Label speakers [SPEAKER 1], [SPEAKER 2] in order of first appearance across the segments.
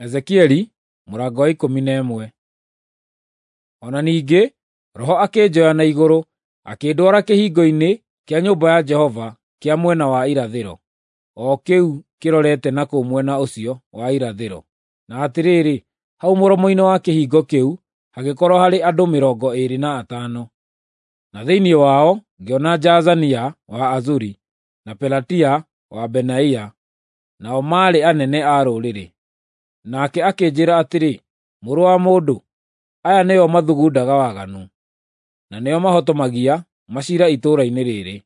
[SPEAKER 1] Ezekieli mũrango wa 11. O na ningĩ Roho akĩnjoya na igũrũ, akĩndwara kĩhingo-inĩ kĩa nyũmba ya Jehova kĩa mwena wa irathĩro, o kĩu kĩrorete na kũu mwena ũcio wa irathĩro. Na atĩrĩrĩ, hau mũromo-inĩ wa kĩhingo kĩu hagĩkorwo harĩ andũ 25. Na thĩinĩ wao ngĩona Jaazania wa Azuri na Pelatia wa Benaia, nao maarĩ anene a rũrĩrĩ. Nake akĩnjĩĩra atĩrĩ, “Mũrũ wa mũndũ, aya nĩo mathugundaga waganu, na nĩo mahotomagia maciira itũũra-inĩ rĩĩrĩ.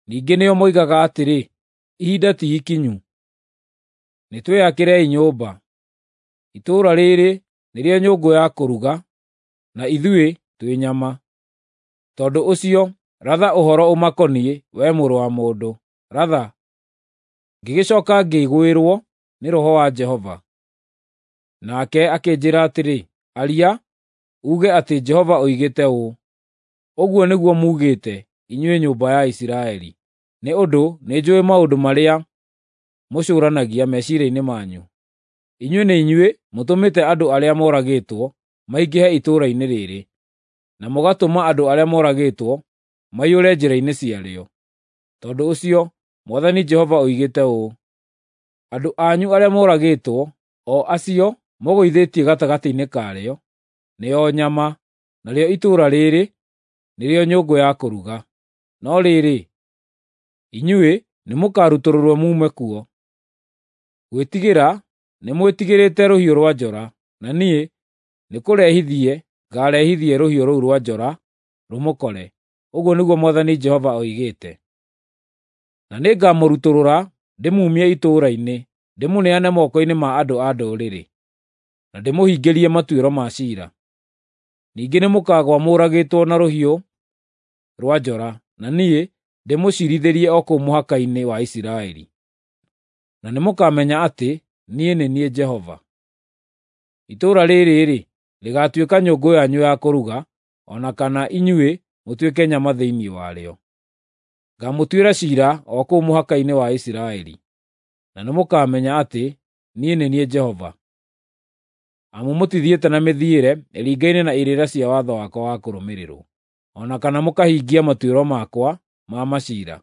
[SPEAKER 1] Ningĩ nĩo moigaga atĩrĩ, ‘Ihinda ti ikinyu, nĩtwĩakĩrei nyũmba.’ Itũũra rĩĩrĩ nĩrĩo nyũngũ ya kũruga, na ithuĩ twĩ nyama. Tondũ ũcio ratha ũhoro ũmakoniĩ, wee mũrũ wa mũndũ, ratha.” Ngĩgĩcooka ngĩgwĩrwo nĩ Roho wa Jehova. Nake akĩnjĩĩra atĩrĩ, “Aria, uuge atĩ Jehova oigĩte ũũ: Ũguo nĩguo muugĩte, inyuĩ nyũmba ya Isiraeli, nĩ ũndũ nĩnjũũĩ maũndũ marĩa mũcũũranagia meciiria-inĩ manyu. Inyuĩ nĩ inyuĩ mũtũmĩte andũ arĩa moragĩtwo maingĩhe itũũra-inĩ rĩĩrĩ, na mũgatũma andũ arĩa moragĩtwo maiyũre njĩra-inĩ ciarĩo. Tondũ ũcio Mwathani Jehova oigĩte ũũ: Andũ anyu arĩa moragĩtwo, o acio mũgũithĩtie gatagatĩ-inĩ karĩo, nĩo nyama, narĩo itũũra rĩĩrĩ nĩrĩo nyũngũ ya kũruga. No rĩrĩ, inyuĩ nĩmũkarutũrũrwo muume kuo. Gwĩtigĩra nĩmwĩtigĩrĩte rũhiũ rwa njora, na niĩ nĩkũrehithie ngaarehithie rũhiũ rũu rwa njora rũmũkore, ũguo nĩguo Mwathani Jehova oigĩte. Na nĩngamũrutũrũra ndĩmuumie itũũra-inĩ, ndĩmũneane moko-inĩ ma andũ a ndũrĩrĩ, na ndĩmũhingĩrie matuĩro ma ciira. Ningĩ nĩmũkagũa mũũragĩtwo na rũhiũ rwa njora, na niĩ ndĩmũciirithĩrie o kũu mũhaka-inĩ wa Isiraeli. Na nĩmũkamenya atĩ niĩ nĩ niĩ Jehova. Itũũra rĩĩrĩ-rĩ, rĩgaatuĩka nyũngũ yanyu ya kũruga, o na kana inyuĩ mũtuĩke nyama thĩinĩ warĩo. Ngaamũtuĩra ciira o kũu mũhaka-inĩ wa Isiraeli, na nĩmũkamenya atĩ niĩ nĩ niĩ Jehova. Amu mũtithiĩte na mĩthiĩre ĩringaine na irĩra cia watho wakwa wa kũrũmĩrĩrwo, o na kana mũkahingia matuĩro makwa ma maciira.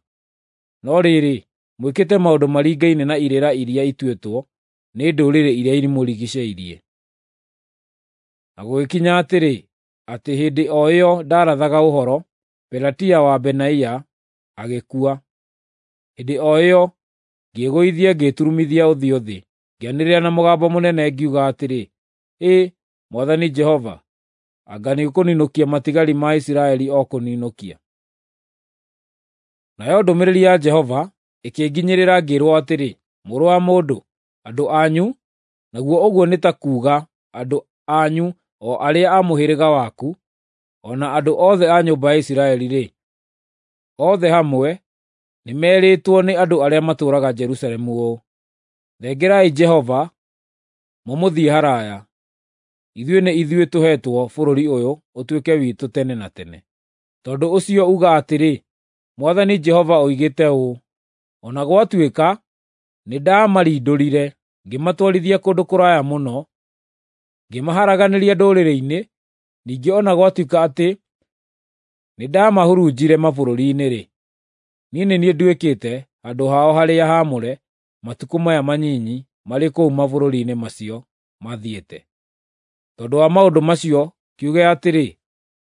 [SPEAKER 1] No rĩrĩ, mwĩkĩte maũndũ maringaine na irĩra iria ituĩtwo nĩ ndũrĩrĩ iria imũrigiicĩirie. Na gũgĩkinya atĩrĩ, atĩ hĩndĩ o ĩyo ndaarathaga ũhoro, Pelatia wa Benaia agĩkua. Hĩndĩ o ĩyo ngĩĩgũithia ngĩĩturumithia ũthiũ thĩ, ngĩanĩrĩra na mũgambo mũnene ngiuga atĩrĩ, “Hĩ, Mwathani Jehova! Anga nĩũkũninũkia matigari ma Isiraeli o kũninũkia?” Nayo ndũmĩrĩri ya Jehova ĩkĩnginyĩrĩra ngĩĩrwo atĩrĩ, “Mũrũ wa mũndũ, andũ anyu, naguo ũguo nĩ ta kuuga andũ anyu o arĩa a mũhĩrĩga waku, o na andũ othe a nyũmba ya Isiraeli-rĩ, othe hamwe nĩmerĩtwo nĩ andũ arĩa matũũraga Jerusalemu ũũ: ‘Thengerai Jehova, mũmũthiĩ haraaya. Ithuĩ nĩ ithuĩ tũheetwo bũrũri ũyũ ũtuĩke witũ tene na tene.’ Tondũ ũcio uga atĩrĩ, Mwathani Jehova oigĩte ũũ: O na gwatuĩka nĩndamarindũrire ngĩmatwarithia kũndũ kũraya mũno, ngĩmaharaganĩria ndũrĩrĩ-inĩ, ningĩ o na gwatuĩka atĩ nĩndamahurunjire mabũrũri-inĩ-rĩ, niĩ nĩ niĩ nduĩkĩte handũ hao harĩa haamũre matukũ maya manyinyi marĩ kũu mabũrũri-inĩ macio mathiĩte. Tondũ wa maũndũ macio kiuge atĩrĩ,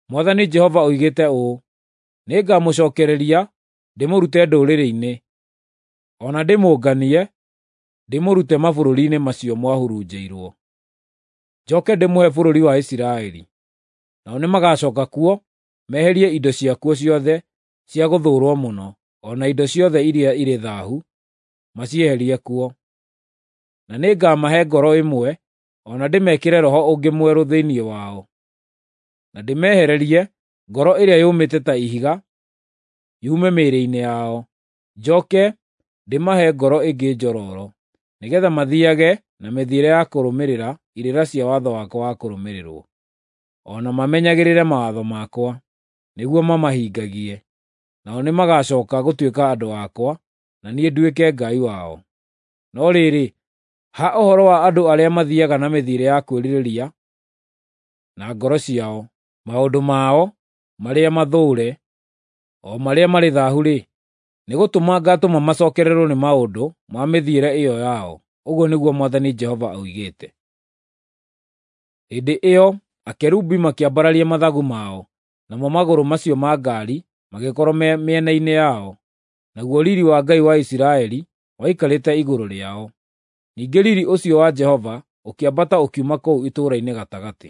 [SPEAKER 1] Mwathani Jehova oigĩte ũũ: Nĩngamũcookereria ndĩmũrute ndũrĩrĩ-inĩ, o na ndĩmũnganie ndĩmũrute mabũrũri-inĩ macio mwahurunjĩirwo. Njooke ndĩmũhe bũrũri wa Isiraeli. Nao nĩmagacooka kuo meherie indo ciakuo ciothe cia gũthũũrwo mũno, o na indo ciothe iria irĩ thaahu, macieherie kuo. Na nĩngamahe ngoro ĩmwe, o na ndĩmekĩre roho ũngĩ mwerũ thĩinĩ wao, na ndĩmehererie ngoro ĩrĩa yũmĩte ta ihiga yume mĩĩrĩ-inĩ yao, njooke ndĩmahe ngoro ĩngĩ njororo, nĩgeetha mathiiage na mĩthiĩre ya kũrũmĩrĩra irĩra cia watho wakwa wa kũrũmĩrĩrwo, o na mamenyagĩrĩre mawatho makwa, nĩguo mamahingagie. Nao nĩmagacooka gũtuĩka andũ akwa, na niĩ nduĩke Ngai wao. No rĩrĩ, Ha ũhoro wa andũ arĩa mathiiaga na mĩthiĩre ya kwĩrirĩria na ngoro ciao, maũndũ mao marĩa mathũũre, o marĩa marĩ thaahu-rĩ, nĩgũtũma ngaatũma macookererwo nĩ maũndũ ma mĩthiĩre ĩyo yao, ũguo nĩguo Mwathani Jehova oigĩte. Hĩndĩ ĩyo akerubi makĩambararia mathagu mao, namo magũrũ macio ma ngaari magĩkorwo me mĩena-inĩ yao, naguo riiri wa Ngai wa Isiraeli waikarĩte igũrũ rĩao. Ningĩ riiri ũcio wa Jehova ũkĩambata ũkiuma kũu itũũra-inĩ gatagatĩ,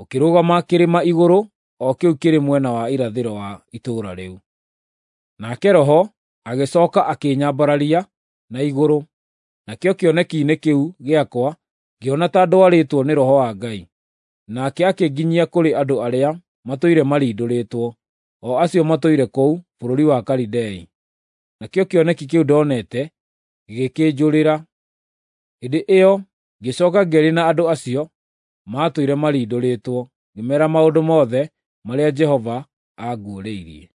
[SPEAKER 1] ũkĩrũgama kĩrĩma igũrũ o kĩu kĩrĩ mwena wa irathĩro wa itũũra rĩu. Nake Roho agĩcooka akĩnyambararia na igũrũ, nakĩo kĩoneki-inĩ kĩu gĩakwa ngĩona ta ndwarĩtwo nĩ Roho wa Ngai. Nake akĩnginyia kũrĩ andũ arĩa matũire marindũrĩtwo, o acio matũire kũu bũrũri wa Kalidei. Nakĩo kĩoneki kĩu ndonete gĩgĩkĩnjũrĩra. Hĩndĩ ĩyo ngĩcooka ngĩaria na andũ acio maatũire marindũrĩtwo, ngĩmeera maũndũ mothe marĩa Jehova aanguũrĩirie.